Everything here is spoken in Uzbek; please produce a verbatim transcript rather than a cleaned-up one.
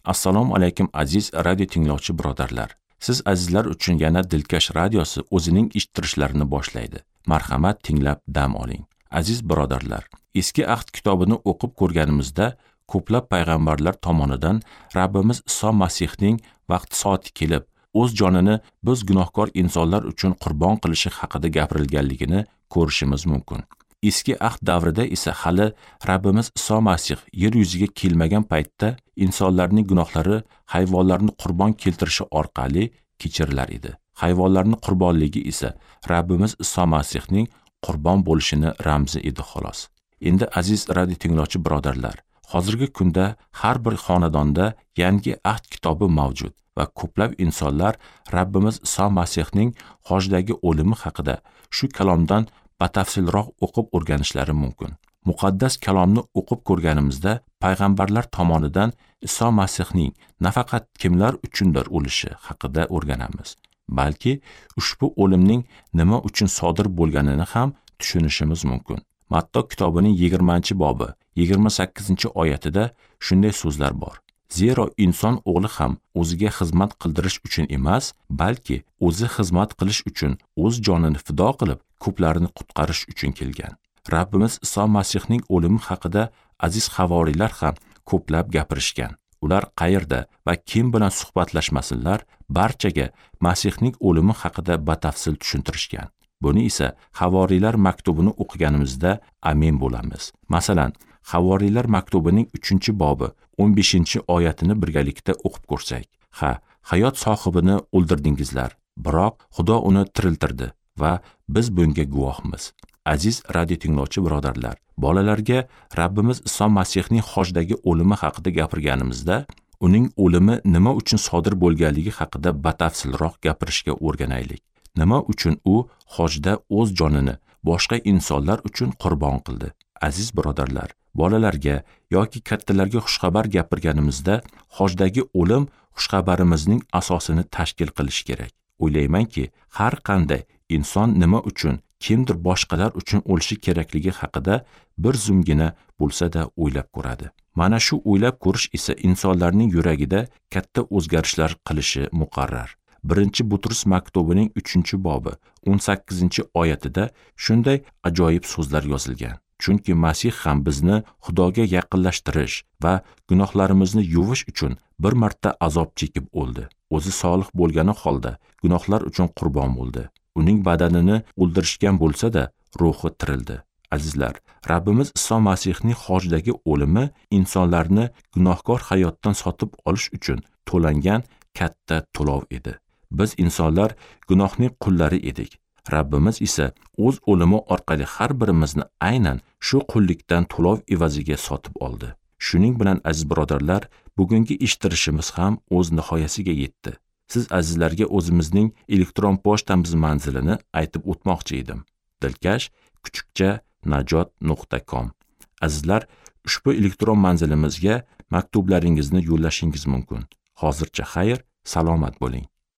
Assalomu alaykum aziz radio tinglovchi birodarlar. Siz azizlar uchun yana Dilkash radiosi o'zining eshittirishlarini boshlaydi. Marhamat, tinglab dam oling. Aziz birodarlar, Eski Ahd kitobini o'qib ko'rganimizda ko'plab payg'ambarlar tomonidan Rabbimiz Iso Masihning vaqti soati kelib, o'z jonini biz gunohkor insonlar uchun qurbon qilishi haqida gapirilganligini ko'rishimiz mumkin. Eski Ahd davrida esa hali Rabbimiz Iso Masih yer yuziga kelmagan paytda insonlarning gunohlari hayvonlarni qurbon keltirishi orqali kechirilar edi. Hayvonlarning qurbonligi esa Rabbimiz Iso Masihning qurbon bo'lishini ramzi edi xolos. Endi aziz radio tinglovchi birodarlar, hozirgi kunda har bir xonadonda Yangi Ahd kitobi mavjud va ko'plab insonlar Rabbimiz Iso Masihning xojdagi o'limi haqida shu kalomdan batafsilroq o'qib o'rganishlari mumkin. Muqaddas kalomni o'qib ko'rganimizda payg'ambarlar tomonidan Iso Masihning nafaqat kimlar uchundir o'lishi haqida o'rganamiz, balki ushbu o'limning nima uchun sodir bo'lganini ham tushunishimiz mumkin. Matto kitobining yigirmanchi bobi yigirma sakkizinchi oyatida shunday so'zlar bor: Zero inson o'g'li ham o'ziga xizmat qildirish uchun emas, balki o'zi xizmat qilish uchun o'z jonini fido qilib, ko'plarni qutqarish uchun kelgan. Rabbimiz Iso Masihning o'limi haqida aziz havoriylar ham ko'plab gapirishgan. Ular qayerda va kim bilan suhbatlashmasinlar, barchaga Masihning o'limi haqida batafsil tushuntirishgan. Buni esa Havoriylar maktubini o'qiganimizda amin bo'lamiz. Masalan, Havoriylar maktubining uchinchi bobi o'n beshinchi oyatini birgalikda o'qib ko'rsak. Ha, hayot sohibini o'ldirdingizlar, biroq Xudo uni tiriltirdi va biz bunga guvohmiz. Aziz radio tinglovchi birodarlar, bolalarga Rabbimiz Iso Masihning xojdagi o'limi haqida gapirganimizda, uning o'limi nima uchun sodir bo'lganligi haqida batafsilroq gapirishga o'rganaylik. Nima uchun u hojda o'z jonini boshqa insonlar uchun qurbon qildi? Aziz birodarlar, bolalarga yoki kattalarga xushxabar gapirganimizda hojdagi o'lim xushxabarimizning asosini tashkil qilishi kerak. O'ylaymanki, har qanday inson nima uchun kimdir boshqalar uchun o'lishi kerakligi haqida bir zumgina bo'lsa-da o'ylab ko'radi. Mana shu o'ylab ko'rish esa insonlarning yuragida katta o'zgarishlar qilishi muqarrar. Birinchi Butrus maktubining uchinchi bobi o'n sakkizinchi oyatida shunday ajoyib so'zlar yozilgan. Chunki Masih ham bizni Xudoga yaqinlashtirish va gunohlarimizni yuvish uchun bir marta azob chekib o'ldi. O'zi solih bo'lgani holda gunohlar uchun qurbon bo'ldi. Uning badanini o'ldirishgan bo'lsa-da, ruhi tirildi. Azizlar, Rabbimiz Iso Masihning xojdagi o'limi insonlarni gunohkor hayotdan sotib olish uchun to'langan katta to'lov edi. Biz insonlar gunohning qullari edik. Rabbimiz esa o'z o'limi orqali har birimizni aynan shu qullikdan to'lov evaziga sotib oldi. Shuning bilan aziz birodarlar, bugungi eshittirishimiz ham o'z nihoyasiga yetdi. Siz azizlarga o'zimizning elektron pochtamiz manzilini aytib o'tmoqchi edim. Dilkash kuchukcha najot nuqta com. Azizlar, ushbu elektron manzilimizga maktublaringizni yo'llashingiz mumkin. Hozircha xayr, salomat bo'ling.